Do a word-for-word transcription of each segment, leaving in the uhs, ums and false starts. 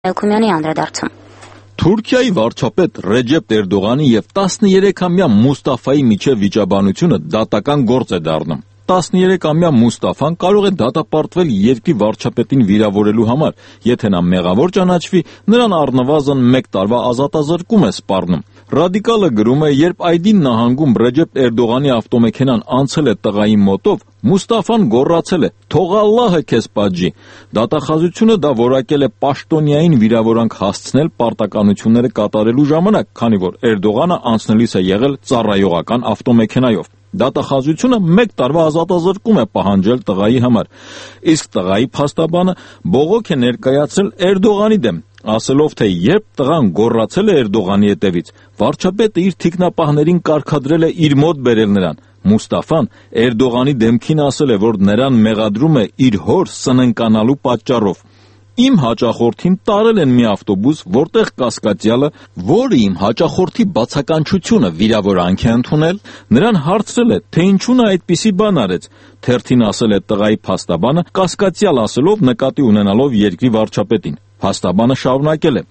Էլքումյանի անդրադարձում։ Թուրքիայի վարչապետ Ռեջեփ Էրդողանի եւ տասներեքամյա Մուստաֆայի միջև վիճաբանությունը դատական գործ է դառնում։ տասներեքամյա Մուստաֆան կարող է դատապարտվել երկրի վարչապետին վիրավորելու համար, եթե նա մեղավոր ճանաչվի, նրան առնվազն մեկ տարվա ազատազրկում է սպառնում։ Ռադիկալը գրում է, երբ Այդին նահանգում Ռեջեփ Էրդողանի ավտոմեքենան անցել է տղայի մոտով, Մուստաֆան գոռացել է. «Թող Ալլահը քեզ պատժի»։ Դատախազությունը դա որակել է պաշտոնյային վիրավորանք հասցնել պարտականությունները կատարելու ժամանակ, քանի որ Էրդողանը անցնելիս է եղել ծառայողական ավտոմեքենայով։ Դատախազությունը մեկ տարվա ազատազրկում է պահանջել տղայի համար, իսկ տղայի փաստաբանը բողոք է ներկայացրել Էրդողանի դեմ, ասելով, թե երբ տղան գոռացել է Էրդողանի հետևից, վարչապետը իր թիկնապահներին կարգադրել է իր մոտ բերել նրան։ Մուստաֆան Էրդողանի դեմքին ասել է, որ նրան մեղադրում է իր հոր սննկանալու պատճառով։ Իմ հաճախորդին տարել են մի ավտոբուս, որտեղ կասկածյալը, որը իմ հաճախորդի բացականչությունը վիրավորանք է ընդունել, նրան հարցրել է, թե ինչու նա այդպիսի բան արեց։ Թերթին ասել է տղայի փաստաբանը, կասկածյալ ասելով նկատի ունենալով երկրի վարչապետին։ Փաստաբանը շարունակել է.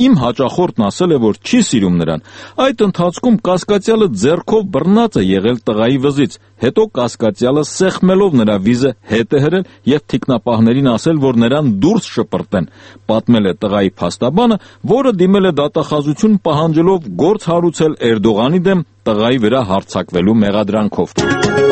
Իմ հաճախորդն ասել է, որ չի սիրում նրան։ Այդ ընթացքում կասկածյալը ձեռքով բռնած է եղել տղայի վզից, հետո կասկածյալը սեղմելով նրա վիզը հետ է հրել եւ թիկնապահներին ասել, որ նրան դուրս շպրտեն, պատմել է տղայի փաստաբանը, որը դիմել է դատախազություն պահանջելով գործ հարուցել Էրդողանի դեմ տղայի վրա հարձակվելու մեղադրանքով։